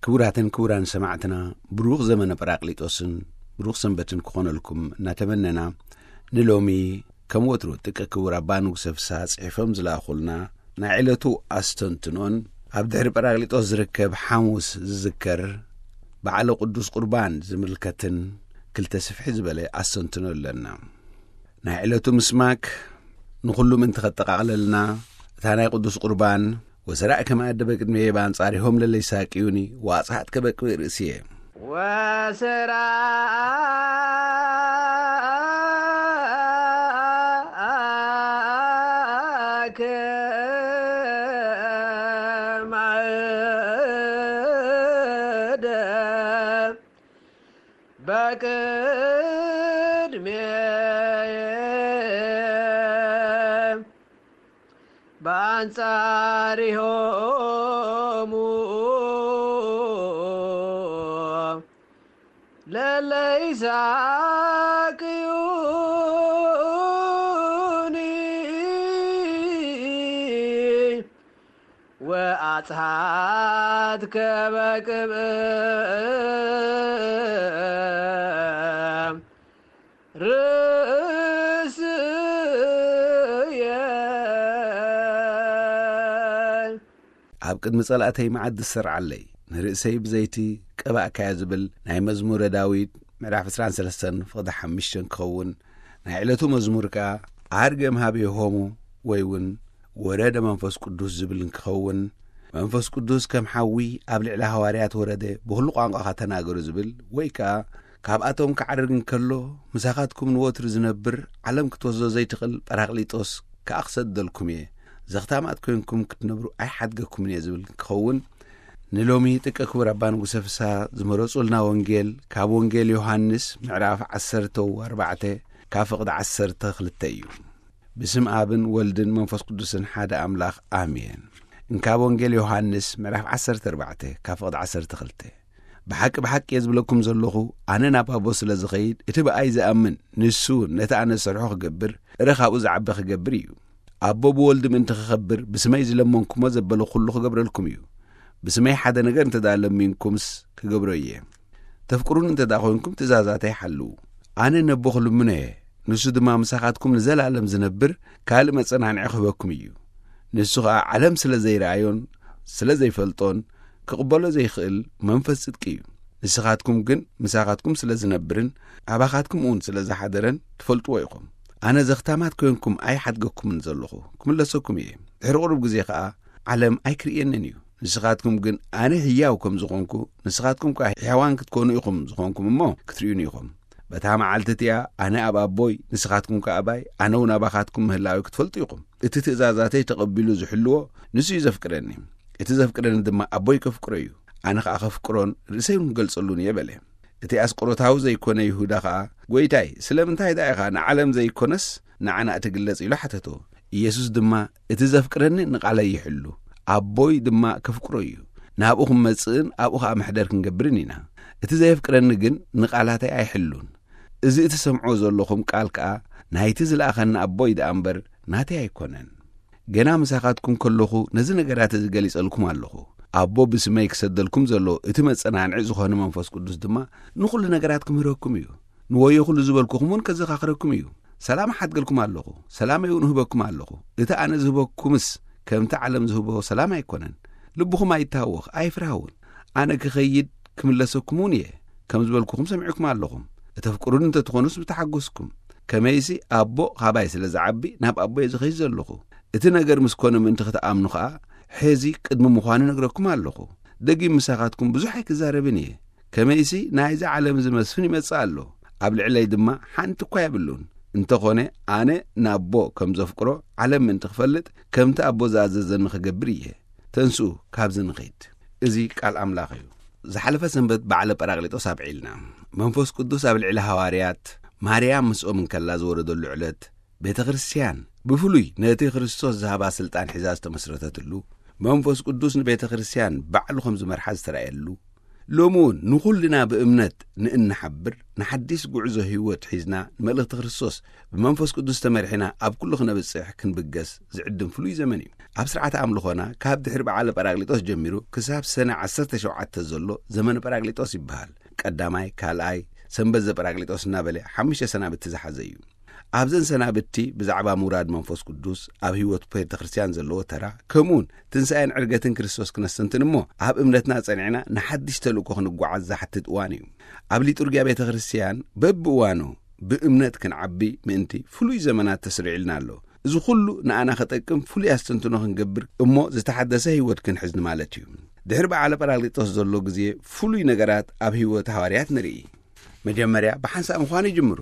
ክቡራትን ክቡራን ሰማዕትና፣ ብሩኽ ዘመነ ጳራቅሊጦስን ብሩኽ ሰንበትን ክኾነልኩም እናተመነና፣ ንሎሚ ከም ወትሩ ጥቀ ክቡር ኣባ ንጉሰ ፍስሃ ጽሒፎም ዝለኣኹልና ናይ ዕለቱ ኣስተንትኖን፣ ኣብ ድሕሪ ጳራቅሊጦስ ዝርከብ ሓሙስ ዝዝከር በዓለ ቅዱስ ቁርባን ዝምልከትን ክልተ ስፍሒ ዝበለ ኣስተንትኖ ኣለና። ናይ ዕለቱ ምስማክ ንኹሉ ምእንቲ ኸጠቓቕለልና፣ እታ ናይ ቅዱስ ቁርባን «ወሰራዕ ከመ ኣደበ ቅድሜየ በኣንጻሪሆም ለለ ይሳቅዩኒ ወኣጽሓት ከበቅብእ ርእስየ» ወሰራከ ማዕደ በቅድሜየ በአንጻሪሆሙ ለለይሳቅዩኒ ወአጽሓት ከበቅብእ ርእስየ። ኣብ ቅድሚ ጸላእተይ መዓት ዝሰርዓለይ፣ ንርእሰይ ብዘይቲ ቀባእካዮ ዝብል ናይ መዝሙረ ዳዊት ምዕራፍ ዕስራን ሰለስተን ፍቕዲ ሓሙሽተን ክኸውን፣ ናይ ዕለቱ መዝሙር ከኣ ኣርገም ሃቤሆሙ ወይ እውን ወረደ መንፈስ ቅዱስ ዝብል እንክኸውን፣ መንፈስ ቅዱስ ከም ሓዊ ኣብ ልዕሊ ሃዋርያት ወረደ፣ ብኹሉ ቋንቋኻ ተናገሩ ዝብል፣ ወይ ከኣ ካብኣቶም ክዓርግ እንከሎ ምሳኻትኩም ንወትሩ ዝነብር፣ ዓለም ክትወስዶ ዘይትኽእል ጳራቅሊጦስ ከኣ ክሰደልኩም እየ፣ ዘኽታማት ኮይንኩም ክትነብሩ ኣይሓድገኩምን እየ ዝብል ክኸውን፣ ንሎሚ ጥቀ ክቡር ኣባ ንጉሰ ፍስሃ ዝመረጹልና ወንጌል ካብ ወንጌል ዮሃንስ ምዕራፍ ዓሰርተ ኣርባዕተ ካብ ፍቕዲ ዓሰርተ ክልተ እዩ። ብስም ኣብን ወልድን መንፈስ ቅዱስን ሓደ ኣምላኽ ኣሜን። እንካብ ወንጌል ዮሃንስ ምዕራፍ ዓሰርተ ኣርባዕተ ካብ ፍቕዲ ዓሰርተ ክልተ። ብሓቂ ብሓቂ እየ ዝብለኩም ዘለኹ፣ ኣነ ናብ ኣቦ ስለ ዝኸይድ፣ እቲ ብኣይ ዝኣምን ንሱ ነቲ ኣነ ዝሰርሖ ክገብር፣ እረ ካብኡ ዝዓቢ ክገብር እዩ። ኣቦ ብወልድ ምእንቲ ክኸብር፣ ብስመይ ዝለመንኩሞ ዘበለ ኩሉ ክገብረልኩም እዩ። ብስመይ ሓደ ነገር እንተ ደኣ ለሚንኩምስ ክገብሮ እየ። ተፍቅሩኒ እንተ ደኣ ኾንኩም ትእዛዛተይ ሓልዉ። ኣነ ነቦ ክልምኖ እየ፣ ንሱ ድማ ምሳኻትኩም ንዘለኣለም ዝነብር ካልእ መጸናንዒ ክህበኩም እዩ። ንሱ ኸኣ ዓለም ስለ ዘይረኣዮን ስለ ዘይፈልጦን ክቕበሎ ዘይኽእል መንፈስ ጽድቂ እዩ። ንስኻትኩም ግን ምሳኻትኩም ስለ ዝነብርን ኣባኻትኩም እውን ስለ ዝሓደረን ትፈልጥዎ ኢኹም። ኣነ ዘኽታማት ኮይንኩም ኣይሓድገኩምን ዘለኹ፣ ክምለሰኩም እየ። ድሕሪ ቁሩብ ግዜ ኸኣ ዓለም ኣይክርእየንን እዩ። ንስኻትኩም ግን ኣነ ህያው ከም ዝኾንኩ፣ ንስኻትኩም ከኣ ሕያዋን ክትኮኑ ኢኹም ዝኾንኩም እሞ ክትርእዩኒ ኢኹም። በታ መዓልቲ እቲኣ ኣነ ኣብ ኣቦይ፣ ንስኻትኩም ከኣ ኣባይ፣ ኣነ እውን ኣባኻትኩም ምህላዊ ክትፈልጡ ኢኹም። እቲ ትእዛዛተይ ተቐቢሉ ዝሕልዎ ንሱ እዩ ዘፍቅረኒ። እቲ ዘፍቅረኒ ድማ ኣቦይ ከፍቅሮ እዩ። ኣነ ኸኣ ከፍቅሮን ርእሰይ እውን ክገልጸሉን እየ በለ። እቲ ኣስቆሮታዊ ዘይኮነ ይሁዳ ኸኣ፣ "ጐይታይ፣ ስለምንታይ ደኣ ኢኻ ንዓለም ዘይኮነስ ንዓና እትግለጽ?" ኢሉ ሓተቶ። ኢየሱስ ድማ፣ "እቲ ዘፍቅረኒ ንቓለይ ይሕሉ፣ ኣቦይ ድማ ከፍቅሮ እዩ። ናብኡ ክመጽእን ኣብኡ ኸኣ መሕደር ክንገብርን ኢና። እቲ ዘየፍቅረኒ ግን ንቓላተይ ኣይሕሉን። እዚ እትሰምዕዎ ዘለኹም ቃል ከኣ ናይቲ ዝለኣኸኒ ኣቦይ ደኣ እምበር ናተይ ኣይኮነን። ገና ምሳኻትኩም ከለኹ ነዚ ነገራት እዚ ገሊጸልኩም ኣለኹ። ኣቦ ብስመይ ክሰደልኩም ዘሎ እቲ መጸናንዒ ዝኾነ መንፈስ ቅዱስ ድማ ንኹሉ ነገራት ክምህረኩም እዩ። ንወዮ ኩሉ ዝበልኩኹም እውን ከዘኻኽረኩም እዩ። ሰላም እሓድገልኩም ኣለኹ፣ ሰላመይ እውን እህበኩም ኣለኹ። እቲ ኣነ ዝህበኩምስ ከምቲ ዓለም ዝህቦ ሰላም ኣይኮነን። ልብኹም ኣይታወኽ፣ ኣይፍርሃ እውን። ኣነ ክኸይድ ክምለሰኩም እውን እየ። ከም ዝበልኩኹም ሰሚዕኩም ኣለኹም። እተፍቅሩኒ እንተትኾኑስ ምተሓጎስኩም። ከመይሲ ኣቦ ኻባይ ስለ ዝዓቢ ናብ ኣቦ እየ ዝኸይድ ዘለኹ። እቲ ነገር ምስ ኮነ ምእንቲ ክትኣምኑ ኸኣ፣ ሕዚ ቅድሚ ምዃኑ ነግረኩም ኣለኹ። ደጊም ምሳኻትኩም ብዙሕ ኣይክዛረብን እየ። ከመይሲ ናይዚ ዓለም እዚ መስፍን ይመጽእ ኣሎ፣ ኣብ ልዕለይ ድማ ሓንቲ እኳ የብሉን። እንተኾነ ኣነ ንኣቦ ከም ዘፍቅሮ ዓለም ምእንቲ ክፈልጥ፣ ከምቲ ኣቦ ዝኣዘዘኒ ክገብር እየ። ተንስኡ፣ ካብዚ ንኺድ። እዚ ቃል ኣምላኽ እዩ። ዝሓለፈ ሰንበት በዓለ ጳራቅሊጦስ ኣብዒልና። መንፈስ ቅዱስ ኣብ ልዕሊ ሃዋርያት፣ ማርያም ምስኦም እንከላ ዝወረደሉ ዕለት፣ ቤተ ክርስቲያን ብፍሉይ ነቲ ክርስቶስ ዝሃባ ስልጣን ሒዛ ዝተመስረተትሉ፣ መንፈስ ቅዱስ ንቤተ ክርስቲያን ባዕሉ ከም ዝመርሓ ዝተራእየሉ፣ ሎሚ እውን ንኹልና ብእምነት ንእንሓብር፣ ንሓዲስ ጉዕዞ ህይወት ሒዝና ንመልእኽቲ ክርስቶስ ብመንፈስ ቅዱስ ተመሪሕና ኣብ ኩሉ ክነብጽሕ ክንብገስ ዝዕድም ፍሉይ ዘመን እዩ። ኣብ ስርዓተ ኣምልኾና ካብ ድሕሪ በዓለ ጳራቅሊጦስ ጀሚሩ ክሳብ ሰነ ዓሰርተ ሸውዓተ ዘሎ ዘመነ ጳራቅሊጦስ ይበሃል። ቀዳማይ፣ ካልኣይ፣ ሰንበት ዘጳራቅሊጦስ እናበለ ሓሙሽተ ሰናብቲ ዝሓዘ እዩ። ኣብዘን ሰናብቲ ብዛዕባ ምውራድ መንፈስ ቅዱስ ኣብ ህይወት ቤተ ክርስቲያን ዘለዎ ተራ፣ ከምኡውን ትንሳኤን ዕርገትን ክርስቶስ ክነስተንትን እሞ፣ ኣብ እምነትና ጸኒዕና ንሓድሽ ተልእኮ ክንጓዓዝ ዝሓትት እዋን እዩ። ኣብ ሊጡርጊያ ቤተ ክርስቲያን በብእዋኑ ብእምነት ክንዓቢ ምእንቲ ፍሉይ ዘመናት ተስሪዕልና ኣሎ። እዚ ኩሉ ንኣና ከጠቅም ፍሉይ ኣስተንትኖ ክንገብር እሞ ዝተሓደሰ ህይወት ክንሕዝ ንማለት እዩ። ድሕሪ በዓለ ጳራቅሊጦስ ዘሎ ግዜ ፍሉይ ነገራት ኣብ ህይወት ሃዋርያት ንርኢ። መጀመርያ ብሓንሳእ ምዃን ይጅምሩ።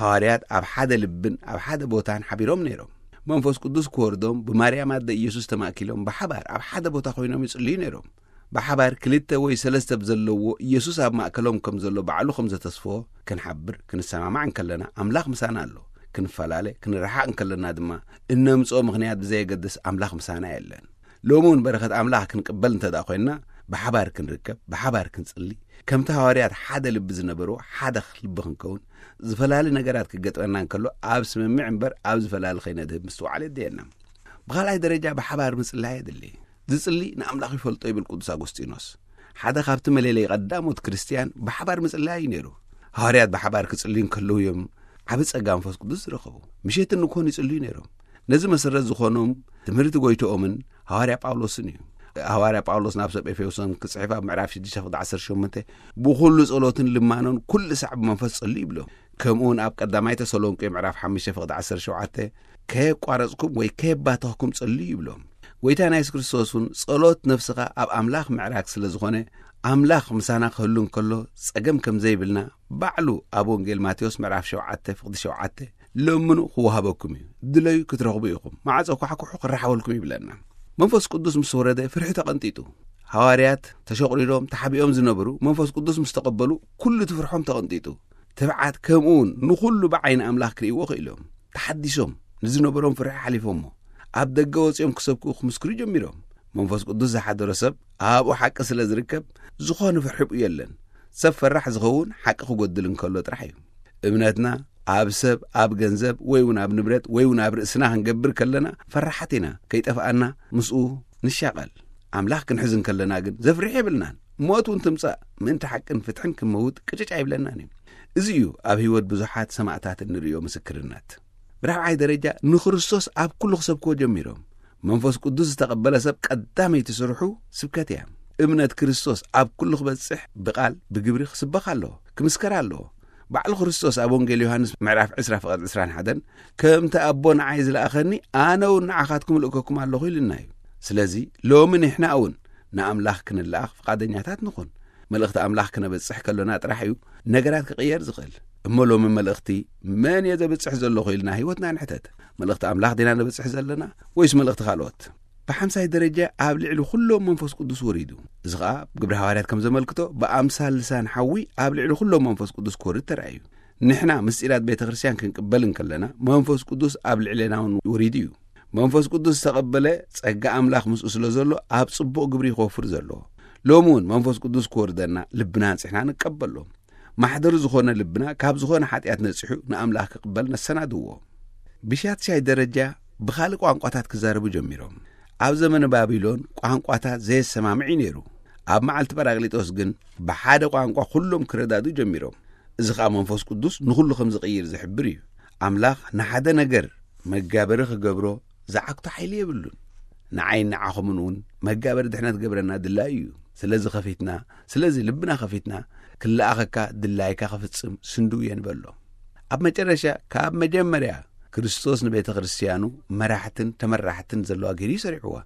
ሃዋርያት ኣብ ሓደ ልብን ኣብ ሓደ ቦታን ሓቢሮም ነይሮም። መንፈስ ቅዱስ ክወርዶም ብማርያም ኣደ ኢየሱስ ተማእኪሎም ብሓባር ኣብ ሓደ ቦታ ኮይኖም ይጽልዩ ነይሮም። ብሓባር ክልተ ወይ ሰለስተ ብዘለዎ ኢየሱስ ኣብ ማእከሎም ከም ዘሎ ባዕሉ ከም ዘተስፎ ክንሓብር ክንሰማማዕ እንከለና ኣምላኽ ምሳና ኣሎ። ክንፈላለ ክንረሓቕ እንከለና ድማ እነምጽኦ ምኽንያት ብዘየገድስ ኣምላኽ ምሳና የለን። ሎሚ እውን በረኸት ኣምላኽ ክንቅበል እንተ ደኣ ኮይንና ብሓባር ክንርከብ፣ ብሓባር ክንጽሊ፣ ከምቲ ሃዋርያት ሓደ ልቢ ዝነበርዎ ሓደ ልቢ ክንከውን፣ ዝፈላለ ነገራት ክገጥመና እንከሎ ኣብ ስምምዕ እምበር ኣብ ዝፈላለ ከይነድህብ ምስትውዓል የድልየና። ብኻልኣይ ደረጃ ብሓባር ምጽላይ የድሊ። ዝጽሊ ንኣምላኽ ይፈልጦ ይብል ቅዱስ ኣጎስጢኖስ። ሓደ ካብቲ መለለይ ቀዳሞት ክርስትያን ብሓባር ምጽላይ እዩ ነይሩ። ሃዋርያት ብሓባር ክጽልዩ እንከለዉ እዮም ዓቢ ጸጋ መንፈስ ቅዱስ ዝረኸቡ። ምሸትን ንግሆን ይጽልዩ ነይሮም። ነዚ መሰረት ዝኾኖም ትምህርቲ ጎይትኦምን ሃዋርያ ጳውሎስን እዩ። ሃዋርያ ጳውሎስ ናብ ሰብ ኤፌሶን ክጽሕፍ ኣብ ምዕራፍ ሽዱሽተ ፍቕዲ ዓሰርተ ሸሞንተ ብኹሉ ጸሎትን ልማኖን ኩሉ ሳዕ ብመንፈስ ጸልዩ ይብሎም። ከምኡውን ኣብ ቀዳማይ ተሰሎንቄ ምዕራፍ ሓሙሽተ ፍቕዲ ዓሰርተ ሸውዓተ ከየቋረጽኩም ወይ ከየባተኽኩም ጸልዩ ይብሎም። ጎይታና የሱስ ክርስቶስ እውን ጸሎት ነፍስኻ ኣብ ኣምላኽ ምዕራግ ስለ ዝኾነ ኣምላኽ ምሳና ክህሉ እንከሎ ጸገም ከም ዘይብልና ባዕሉ ኣብ ወንጌል ማቴዎስ ምዕራፍ ሸውዓተ ፍቕዲ ሸውዓተ ለምኑ ክወሃበኩም እዩ፣ ድለዩ ክትረኽቡ ኢኹም፣ ማዕጾ ኳሕኩሑ ክረሓወልኩም ይብለና። መንፈስ ቅዱስ ምስ ወረደ ፍርሒ ተቐንጢጡ። ሃዋርያት ተሸቑሪዶም ተሓቢኦም ዝነበሩ መንፈስ ቅዱስ ምስ ተቐበሉ ኩሉ እቲ ፍርሖም ተቐንጢጡ። ትብዓት ከምኡ እውን ንኹሉ ብዓይኒ ኣምላኽ ክርእይዎ ክኢሎም። ተሓዲሶም ንዝነበሮም ፍርሒ ሓሊፎሞ ኣብ ደገ ወጺኦም ክሰብኩ ክምስክሩ ጀሚሮም። መንፈስ ቅዱስ ዝሓደሮ ሰብ ኣብኡ ሓቂ ስለ ዝርከብ ዝኾነ ፍርሒ ብኡ የለን። ሰብ ፈራሕ ዝኸውን ሓቂ ክጎድል እንከሎ ጥራሕ እዩ። እምነትና ኣብ ሰብ፣ ኣብ ገንዘብ ወይ እውን ኣብ ንብረት ወይ እውን ኣብ ርእስና ክንገብር ከለና ፈራሓት ኢና፣ ከይጠፍኣና ምስኡ ንሻቐል። ኣምላኽ ክንሕዝ እንከለና ግን ዘፍርሕ የብልናን። ሞት እውን ትምጻእ ምእንቲ ሓቅን ፍትሕን ክንመውት ቅጭጭ ኣይብለናን እዩ። እዚ እዩ ኣብ ህይወት ብዙሓት ሰማእታት እንርእዮ ምስክርነት። ብራብዓይ ደረጃ ንክርስቶስ ኣብ ኩሉ ክሰብክዎ ጀሚሮም። መንፈስ ቅዱስ ዝተቐበለ ሰብ ቀዳመይቲ ስርሑ ስብከት እያ። እምነት ክርስቶስ ኣብ ኩሉ ክበጽሕ ብቓል ብግብሪ ክስበኽ ኣለዎ፣ ክምስከር ኣለዎ። ባዕሉ ክርስቶስ ኣብ ወንጌል ዮሃንስ ምዕራፍ ዕስራ ፍቐድ ዕስራን ሓደን ከምቲ ኣቦ ንዓይ ዝለኣኸኒ ኣነ እውን ንዓኻትኩም እልእከኩም ኣለኹ ኢሉና እዩ። ስለዚ ሎሚ ንሕና እውን ንኣምላኽ ክንለኣኽ ፍቓደኛታት ንኹን። መልእኽቲ ኣምላኽ ክነበጽሕ ከሎና ጥራሕ እዩ ነገራት ክቕየር ዝኽእል። እሞ ሎሚ መልእኽቲ መን እየ ዘብጽሕ ዘለኹ ኢልና ህይወትና ንሕተት። መልእኽቲ ኣምላኽ ዲና ነብጽሕ ዘለና ወይስ መልእኽቲ ካልኦት? ብሓምሳይ ደረጃ ኣብ ልዕሊ ኩሎም መንፈስ ቅዱስ ወሪዱ። እዚ ኸኣ ግብሪ ሃዋርያት ከም ዘመልክቶ ብኣምሳል ልሳን ሓዊ ኣብ ልዕሊ ኩሎም መንፈስ ቅዱስ ክወርድ ተራእዩ። ንሕና ምስጢራት ቤተ ክርስቲያን ክንቅበል እንከለና መንፈስ ቅዱስ ኣብ ልዕሌና እውን ወሪዱ እዩ። መንፈስ ቅዱስ ዝተቐበለ ጸጋ ኣምላኽ ምስኡ ስለ ዘሎ ኣብ ጽቡቕ ግብሪ ክወፍር ዘለዎ። ሎሚ እውን መንፈስ ቅዱስ ክወርደና ልብና ኣንጺሕና ንቀበሎ። ማሕደሩ ዝኾነ ልብና ካብ ዝኾነ ሓጢኣት ነጺሑ ንኣምላኽ ክቕበል ነሰናድዎ። ብሻትሻይ ደረጃ ብኻልእ ቋንቋታት ክዛረቡ ጀሚሮም። ኣብ ዘመነ ባቢሎን ቋንቋታት ዘየሰማምዕ እዩ ነይሩ። ኣብ መዓልቲ ጳራቅሊጦስ ግን ብሓደ ቋንቋ ኩሎም ክረዳዱ ጀሚሮም። እዚ ኸኣ መንፈስ ቅዱስ ንኹሉ ከም ዝቕይር ዝሕብር እዩ። ኣምላኽ ንሓደ ነገር መጋበሪ ክገብሮ ዝዓግቶ ሓይሊ የብሉን። ንዓይን ንዓኹምን እውን መጋበሪ ድሕነት ገብረና ድላዩ እዩ። ስለዚ ከፊትና፣ ስለዚ ልብና ከፊትና ክለኣኸካ ድላይካ ክፍጽም ስንድው እየ ንበሎ። ኣብ መጨረሻ ካብ መጀመርያ ክርስቶስ ንቤተ ክርስቲያኑ መራሕትን ተመራሕትን ዘለዋ ገይሩ እዩ ሰሪዕዋ።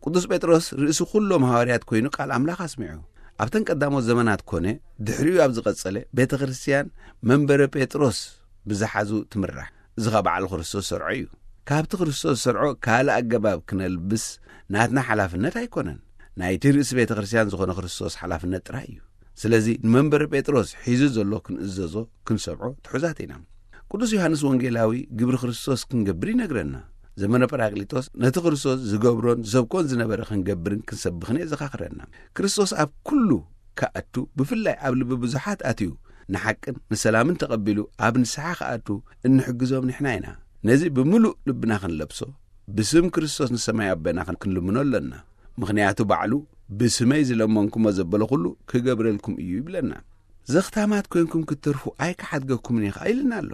ቅዱስ ጴጥሮስ ርእሲ ኩሎም ሃዋርያት ኮይኑ ቃል ኣምላኽ ኣስሚዑ። ኣብተን ቀዳሞት ዘመናት ኮነ ድሕሪኡ ኣብ ዝቐጸለ ቤተ ክርስቲያን መንበረ ጴጥሮስ ብዝሓዙ ትምራሕ። እዚ ኸኣ በዓል ክርስቶስ ዝሰርዖ እዩ። ካብቲ ክርስቶስ ዝሰርዖ ካልእ ኣገባብ ክነልብስ ናትና ሓላፍነት ኣይኮነን። ናይቲ ርእሲ ቤተ ክርስቲያን ዝኾነ ክርስቶስ ሓላፍነት ጥራይ እዩ። ስለዚ ንመንበረ ጴጥሮስ ሒዙ ዘሎ ክንእዘዞ ክንሰምዖ ትሑዛት ኢና። ቅዱስ ዮሃንስ ወንጌላዊ ግብሪ ክርስቶስ ክንገብር ይነግረና። ዘመነ ጳራቅሊጦስ ነቲ ክርስቶስ ዝገብሮን ዝሰብኮን ዝነበረ ክንገብርን ክንሰብኽን የዘኻኽረና። ክርስቶስ ኣብ ኩሉ ክኣቱ፣ ብፍላይ ኣብ ልቢ ብዙሓት ኣትዩ ንሓቅን ንሰላምን ተቐቢሉ ኣብ ንስሓ ክኣቱ እንሕግዞም ንሕና ኢና። ነዚ ብምሉእ ልብና ክንለብሶ፣ ብስም ክርስቶስ ንሰማይ ኣቦና ክንልምኖ ኣለና። ምኽንያቱ ባዕሉ፣ "ብስመይ ዝለመንኩሞ ዘበለ ኩሉ ክገብረልኩም እዩ" ይብለና። "ዘኽታማት ኮንኩም ክትተርፉ ኣይክሓድገኩምን እየ" ኸኣ ኢልና ኣሎ።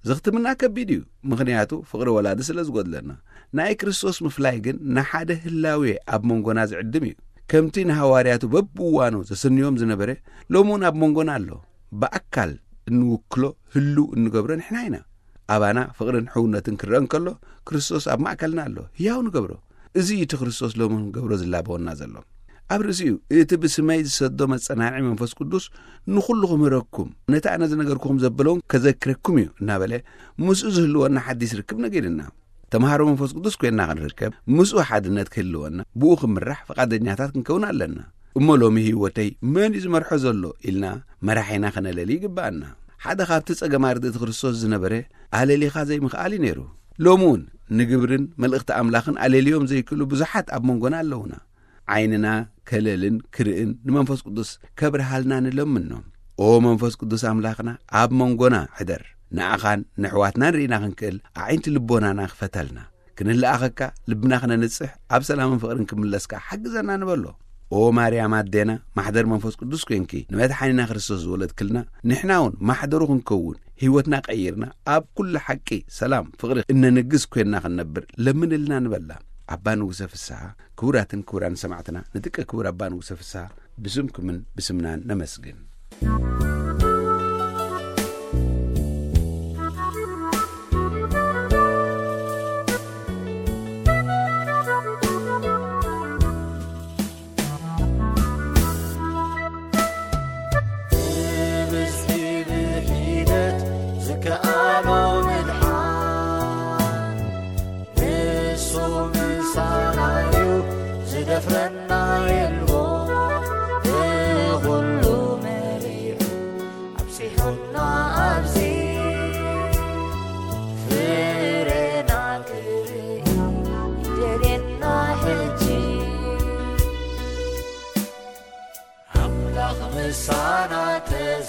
ዘኽትምና ከቢድ እዩ፣ ምኽንያቱ ፍቕሪ ወላዲ ስለ ዝጎድለና። ናይ ክርስቶስ ምፍላይ ግን ንሓደ ህላዌ ኣብ መንጎና ዝዕድም እዩ። ከምቲ ንሃዋርያቱ በብእዋኑ ዘስንዮም ዝነበረ፣ ሎሚ እውን ኣብ መንጎና ኣሎ። ብኣካል እንውክሎ፣ ህልው እንገብሮ ንሕና ኢና። ኣባና ፍቕርን ሕውነትን ክረአ እንከሎ፣ ክርስቶስ ኣብ ማእከልና ኣሎ። ህያው ንገብሮ። እዚ እዩ እቲ ክርስቶስ ሎሚ ክንገብሮ ዝላበወና ዘሎ። ኣብ ርእሲኡ፣ "እቲ ብስመይ ዝሰዶ መጸናንዒ መንፈስ ቅዱስ ንኹሉ ክምህረኩም፣ ነቲ ኣነ ዝነገርኩኹም ዘበለውን ከዘክረኩም እዩ" እናበለ፣ ምስኡ ዝህልወና ሓዲስ ርክብ ነጊርና። ተምሃሮ መንፈስ ቅዱስ ኮይንና ክንርከብ፣ ምስኡ ሓድነት ክህልወና፣ ብኡ ክምራሕ ፍቓደኛታት ክንከውን ኣለና። እሞ ሎሚ ህይወተይ መን እዩ ዝመርሖ ዘሎ ኢልና መራሒና ከነለሊ ይግብኣና። ሓደ ካብቲ ጸገም ኣርድእቲ ክርስቶስ ዝነበረ ኣለሊኻ ዘይምኽኣል እዩ ነይሩ። ሎሚ እውን ንግብርን መልእኽቲ ኣምላኽን ኣለልዮም ዘይክእሉ ብዙሓት ኣብ መንጎና ኣለዉና። ዓይንና ከለልን ክርእን ንመንፈስ ቅዱስ ከብርሃልና ንለምኖ። "ኦ መንፈስ ቅዱስ ኣምላኽና፣ ኣብ መንጎና ሕደር። ንኣኻን ንኣሕዋትናን ርኢና ክንክእል ኣዒንቲ ልቦናና ክፈተልና። ክንለኣኸካ ልብና ክነንጽሕ፣ ኣብ ሰላምን ፍቕርን ክምለስካ ሓግዘና" ንበሎ። "ኦ ማርያም ኣዴና፣ ማሕደር መንፈስ ቅዱስ ኮንኪ ንመድሓኒና ክርስቶስ ዝወለድክልና፣ ንሕና እውን ማሕደሩ ክንከውን፣ ህይወትና ቀይርና፣ ኣብ ኩሉ ሓቂ፣ ሰላም፣ ፍቕሪ እነንግስ ኮይንና ክንነብር ለምንልና" ንበላ። ኣባ ንጉሰ ፍስሓ፣ ክቡራትን ክቡራን ሰማዕትና፣ ንጥቀ ክቡር ኣባ ንጉሰ ፍስሓ ብስምኩምን ብስምናን ነመስግን። ብብዝሒ ብሒደት ዝከኣሎ ምድሓን፣ ንሱ ምሳና እዩ፣ ዝደፍረና የልቦ። ንኹሉ መሪሑ ኣብጺሑና ኣብዚ፣ ፍሬና ክርኢ ይደልየና ሕጂ። ኣምላኽ ምሳና ተዘ